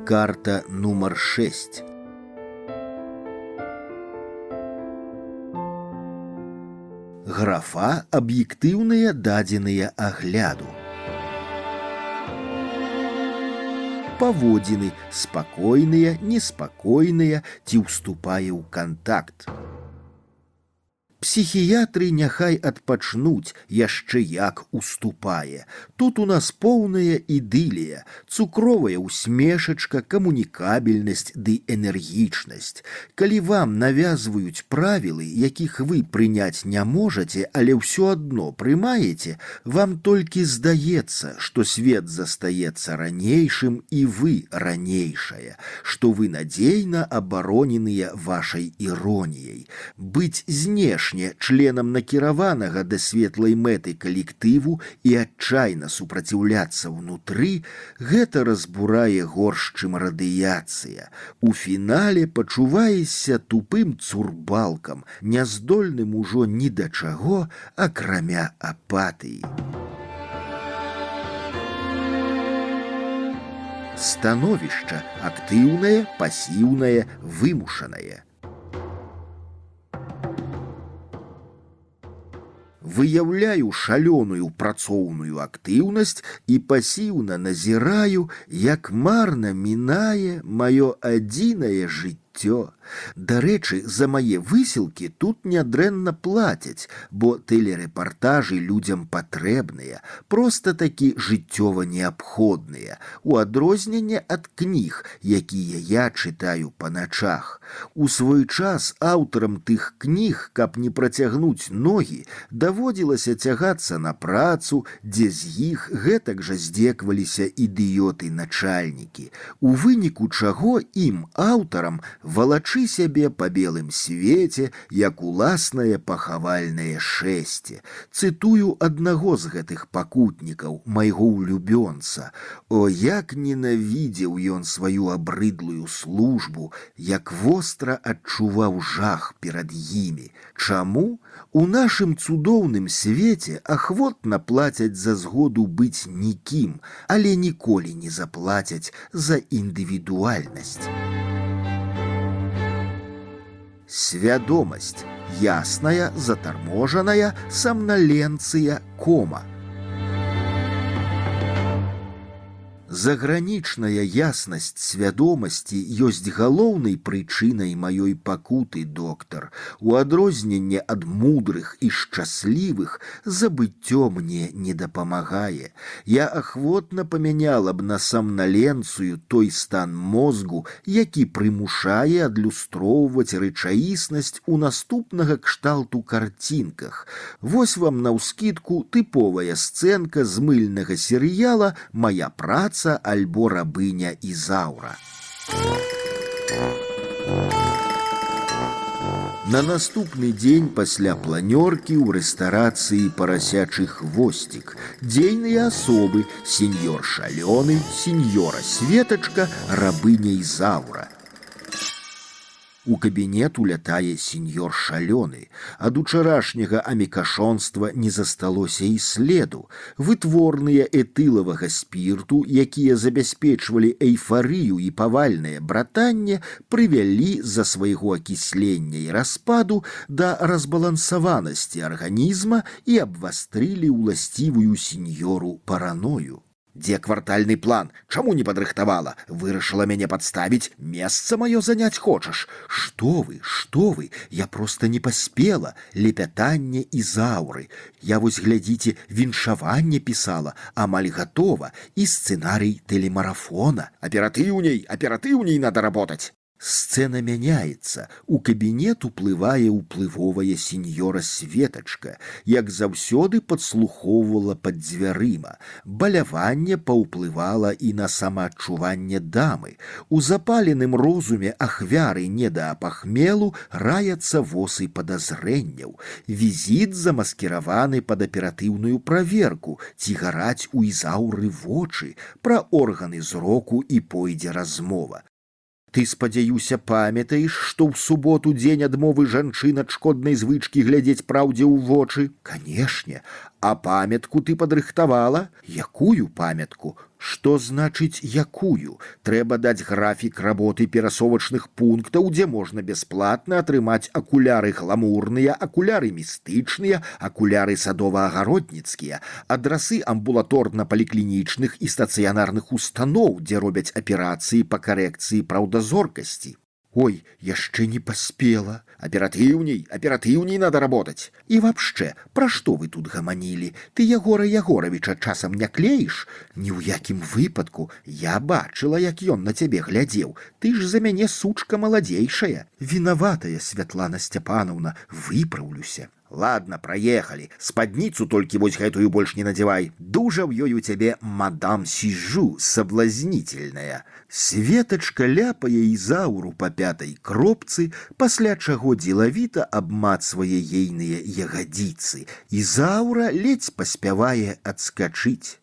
Карта нумар 6. Графа «Аб'ектыўныя дадзеныя агляду». Паводзіны спакойныя, неспакойныя ці ўступае ў кантакт. Псіхіятры няхай адпачнуць, яшчэ як уступае. Тут у нас поўная ідылія, цукровая усмешачка, камунікабельнасць ды энергічнасць. Калі вам навязваюць правілы, якіх вы прыняць не можаце, але ўсё адно прымаеце, вам толькі здаецца, што свет застаецца ранейшым і вы ранейшая, што вы надзейна абароненыя вашай іроніяй. Быць знешне членам накіраванага да светлай мэты калектыву і адчайна супраціўляцца ўнутры, гэта разбурае горш, чым радыяцыя. У фінале пачуваешся тупым цурбалкам, няздольным ужо ні да чаго, акрамя апатыі. Становішча актыўнае, пасіўнае, вымушанае. Выяўляю шалёную працоўную актыўнасць і пасіўна назіраю, як марна мінае маё адзінае жыццё. Дарэчы, за мае высілкі тут нядрэнна плацяць, бо тэлерэпартажы людзям патрэбныя, проста такі жыццёва неабходныя, у адрозненне ад кніг, якія я чытаю па начах. У свой час аўтарам тых кніг, каб не працягнуць ногі, даводзілася цягацца на працу, дзе з іх гэтак жа здзекваліся ідыёты-начальнікі, у выніку чаго ім, аўтарам, валачы сябе па белым свеце, як уласнае пахавальнае шэсце. Цытую аднаго з гэтых пакутнікаў, майго улюбёнца. О, як ненавідзеў ён сваю абрыдлую службу, як востра адчуваў жах перад імі. Чаму? У нашым цудоўным свеце ахвотна плацяць за згоду быць нікім, але ніколі не заплацяць за індывідуальнасць. Свядомасць ясная, затарможаная, самналенцыя, кома. Загранічная яснасць свядомасці ёсць галоўнай прычынай маёй пакуты, доктар. У адрозненне ад мудрых і шчаслівых забыццё мне не дапамагае. Я ахвотна памяняла б на самналенцыю той стан мозгу, які прымушае адлюстроўваць рэчаіснасць у наступнага кшталту карцінках. Вось вам наўскідку тыповая сцэнка з мыльнага серыяла «Мая праца» альбо рабыня Ізаура. На наступны дзень пасля планёркі ў рэстарацыі «Парасячы хвосцік» дзейныя асобы: сеньор Шалёны, сеньора Светачка, рабыня Ізаура. У кабінет улятае сеньор Шалёны. Ад учарашняга амікашонства не засталося і следу. Вытворныя этылавага спірту, якія забяспечвалі эйфарыю і павальнае братанне, прывялі з-за свайго акіслення і распаду да разбалансаванасці арганізма і абвастрылі ўласцівую сеньору параною. Дзе квартальны план? Чаму не падрыхтавала? Вырашыла мяне падставіць? Месца маё заняць хочаш? Што вы? Я проста не паспела. Лепятанне Ізауры. Я вось, глядзіце, віншаванне пісала, амаль гатова, і сцэнарый тэлемарафона. Аператыўней надо работаць. Сцэна мяняецца. У кабінет уплывае ўплывовая сеньора Светачка, як заўсёды падслухоўвала пад дзвярыма. Баляванне паўплывала і на самаадчуванне дамы. У запаленым розуме ахвяры недаапахмелу раяцца восы падазрэнняў. Візіт замаскіраваны пад аператыўную праверку, ці гараць у Ізауры вочы, пра органы зроку і пойдзе размова. Ты, спадзяюся, памятаеш, што ў суботу дзень адмовы жанчын ад шкоднай звычкі глядзець праўдзе ў вочы? Канешне. А памятку ты падрыхтавала? Якую памятку? Што значыць якую? Трэба даць графік работы перасовачных пунктаў, дзе можна бясплатна атрымаць акуляры гламурныя, акуляры містычныя, акуляры садова-агародніцкія, адрасы амбулаторна-паліклінічных і стацыянарных устаноў, дзе робяць аперацыі па карэкцыі праўдазоркасці. Ой, яшчэ не паспела. Оператыўней надо работать. И вообще, пра што вы тут гаманілі? Ты Ягора Ягоровича часам не клеіш? Ні ў якім выпадку. Я бачыла, як ён на цябе глядзеў. Ты ж за мяне сучка маладзейшая. Вінаватая, Святлана Сцяпановна, выпраўлюся. Ладно, проехали. Спадніцу толькі вось гэтую больш не надевай. Дужа ў ёй у цябе мадам Сижу, соблазнительная. Светочка ляпае Ізауру па пятай кропцы, пасля чаго дзелавіта абмацвае ейныя ягадзіцы. Ізаура ледзь паспявае адскачыць.